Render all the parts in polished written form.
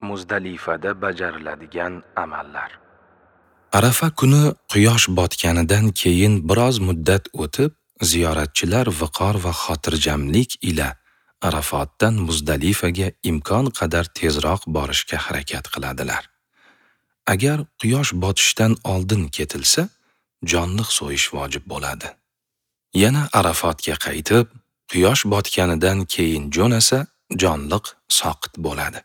Muzdalifada bajariladigan amallar. Arafa kuni quyosh botganidan keyin biroz muddat o'tib, ziyoratchilar viqor va xotirjamlik ila Arafatdan Muzdalifaga imkon qadar tezroq borishga harakat qiladilar. Agar quyosh botishdan oldin ketilsa, jonliq so'yish vojib bo'ladi. Yana Arafatga qaytib, quyosh botganidan keyin jo'nasa, jonliq soqit bo'ladi.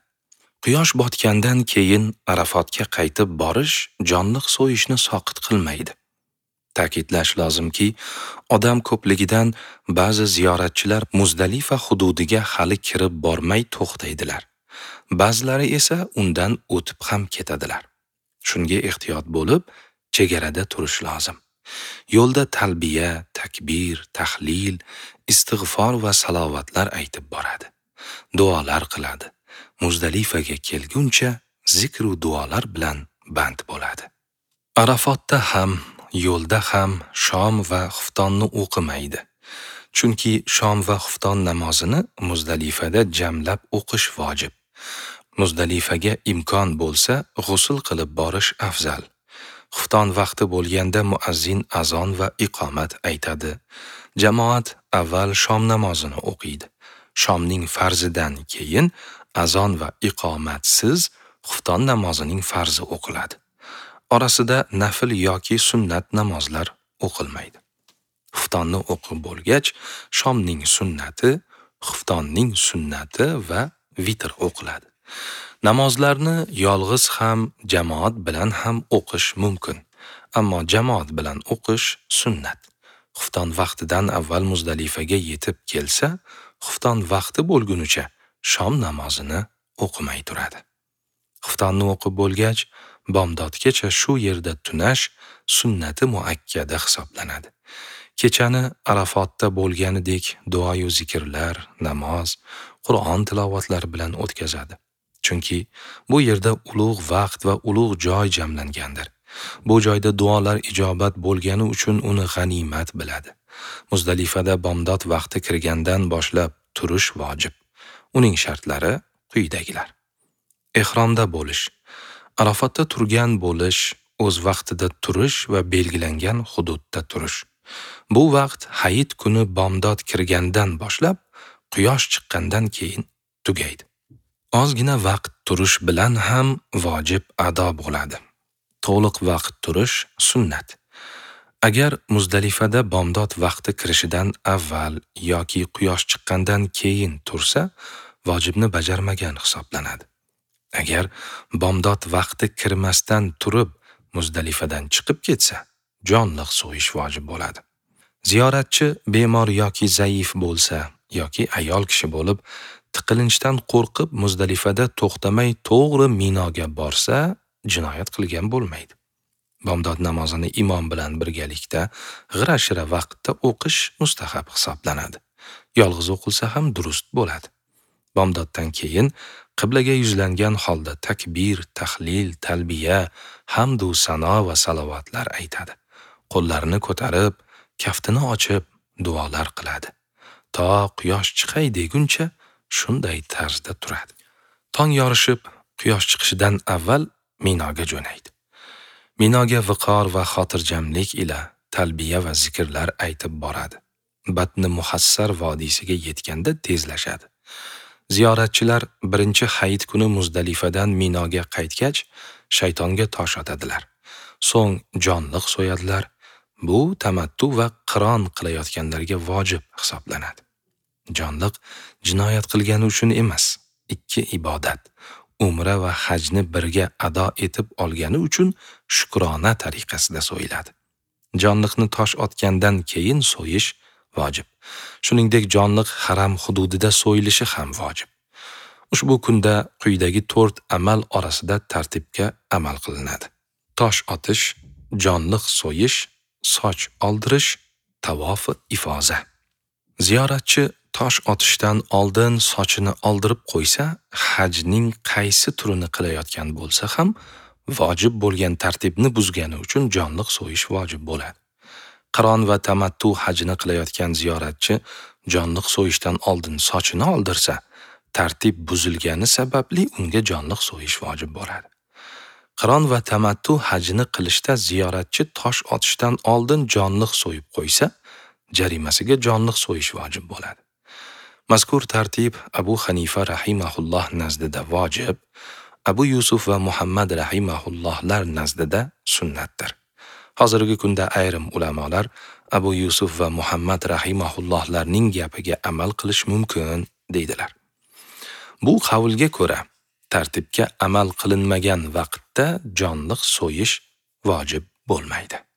Quyosh botgandan keyin Arafatga qaytib borish jonliq so'yishni soqit qilmaydi. Ta'kidlash lozimki, odam ko'pligidan ba'zi ziyoratchilar Muzdalifa hududiga hali kirib bormay to'xtaydilar. Ba'zilari esa undan o'tib ham ketadilar. Shunga ehtiyot bo'lib, chegarada turish lozim. Yo'lda talbiya, takbir, tahlil, istig'for va salovatlar aytib boradi. Duolar qiladi. Muzdalifaga kelguncha zikr va duolar bilan band bo'ladi. Arafatda ham, yo'lda ham shom va xuftonni o'qimaydi. Chunki shom va xufton namozini Muzdalifada jamlab o'qish vojib. Muzdalifaga imkon bo'lsa, g'usl qilib borish afzal. Xufton vaqti bo'lganda muazzin azon va iqomat aytadi. Jamoat avval shom namozini o'qiydi. Shomning farzidan keyin azon va iqomatsiz xufton namozining farzi o'qiladi. Orasida nafl yoki sunnat namozlar o'qilmaydi. Xuftonni o'qib bo'lgach, shomning sunnati, xuftonning sunnati va vitr o'qiladi. Namozlarni yolg'iz ham, jamoat bilan ham o'qish mumkin. Ammo jamoat bilan o'qish sunnat. Xufton vaqtidan avval Muzdalifaga yetib kelsa, xufton vaqti bo'lgunicha shom namozini o'qimay turadi. Xuftonni o'qib bo'lgach, bomdodgacha shu yerda tunash sunnati muakkada hisoblanadi. Kechani Arafatda bo'lganidek duoyu zikrlar, namoz, Qur'on tilovatlari bilan o'tkazadi. Chunki bu yerda ulug' vaqt va ulug' joy jamlangandir. Bu joyda duolar ijobat bo'lgani uchun uni g'animat biladi. Muzdalifada bomdod vaqti kirgandan boshlab turish vojib. Uning shartlari quyidagilar: Ehromda bo'lish, Arafatda turgan bo'lish, o'z vaqtida turish va belgilangan hududda turish. Bu vaqt hayit kuni bomdod kirgandan boshlab quyosh chiqqandan keyin tugaydi. Ozgina vaqt turish bilan ham vojib ado bo'ladi. To'liq vaqt turish sunnat. Agar Muzdalifada bomdod vaqti kirishidan avval yoki quyosh chiqqandan keyin tursa, vojibni bajarmagan hisoblanadi. Agar bomdod vaqti kirmasdan turib Muzdalifadan chiqib ketsa, jonliq so'yish vojib bo'ladi. Ziyoratchi bemor yoki zaif bo'lsa yoki ayol kishi bo'lib, tiqilinchdan qo'rqib Muzdalifada to'xtamay to'g'ri Minoga borsa, jinoyat qilgan bo'lmaydi. Bomdod namozini imom bilan birgalikda g'ira-shira vaqtda o'qish mustahab hisoblanadi. Yolg'iz o'qilsa ham durust bo'ladi. Bomdoddan keyin qiblaga yuzlangan holda takbir, tahlil, talbiya, hamd u sano va salovatlar aytadi. Qo'llarini ko'tarib, kaftini ochib duolar qiladi. To quyosh chiqay deguncha shunday tarzda turadi. Tong yorishib, quyosh chiqishidan avval Minoga jo'naydi. Minoga viqor va xotirjamlik ila talbiya va zikrlar aytib boradi. Batni Muhassar vodiysiga yetganda tezlashadi. Ziyoratchilar birinchi hayit kuni Muzdalifadan Minoga qaytgach, shaytonga tosh otadilar. So'ng jonliq so'yadilar. Bu tamattu va qiron qilayotganlarga vojib hisoblanadi. Jonliq jinoyat qilgani uchun emas, ikki ibodat, umra va hajni birga ado etib olgani uchun shukrona tariqasida so'yiladi. Jonliqni tosh otgandan keyin so'yish vojib. Shuningdek, jonliq haram hududida so'yilishi ham vojib. Ushbu kunda quyidagi 4 amal orasida tartibga amal qilinadi: tosh otish, jonliq so'yish, soch oldirish, tavof ifoza. Ziyoratchi tosh otishdan oldin sochini oldirib qo'ysa, hajning qaysi turini qilayotgan bo'lsa ham vojib bo'lgan tartibni buzgani uchun jonliq so'yish vojib bo'ladi. Qiron va tamattu hajini qilayotgan ziyoratchi jonliq so'yishdan oldin sochini oldirsa, Tartib buzilgani sababli unga jonliq so'yish vojib bo'ladi. Qiron va tamattu hajini qilishda ziyoratchi tosh otishdan oldin jonliq so'yib qo'ysa, jarimasiga jonliq so'yish vojib bo'ladi. Mazkur tartib Abu Hanifa rahimahulloh nazdida vojib, Abu Yusuf va Muhammad rahimahullohlar nazdida sunnatdir. Hozirgi kunda ayrim ulamolar Abu Yusuf va Muhammad rahimahullohlarning gapiga amal qilish mumkin deydilar. Bu qavlga ko'ra, tartibga amal qilinmagan vaqtda jonliq so'yish vojib bo'lmaydi.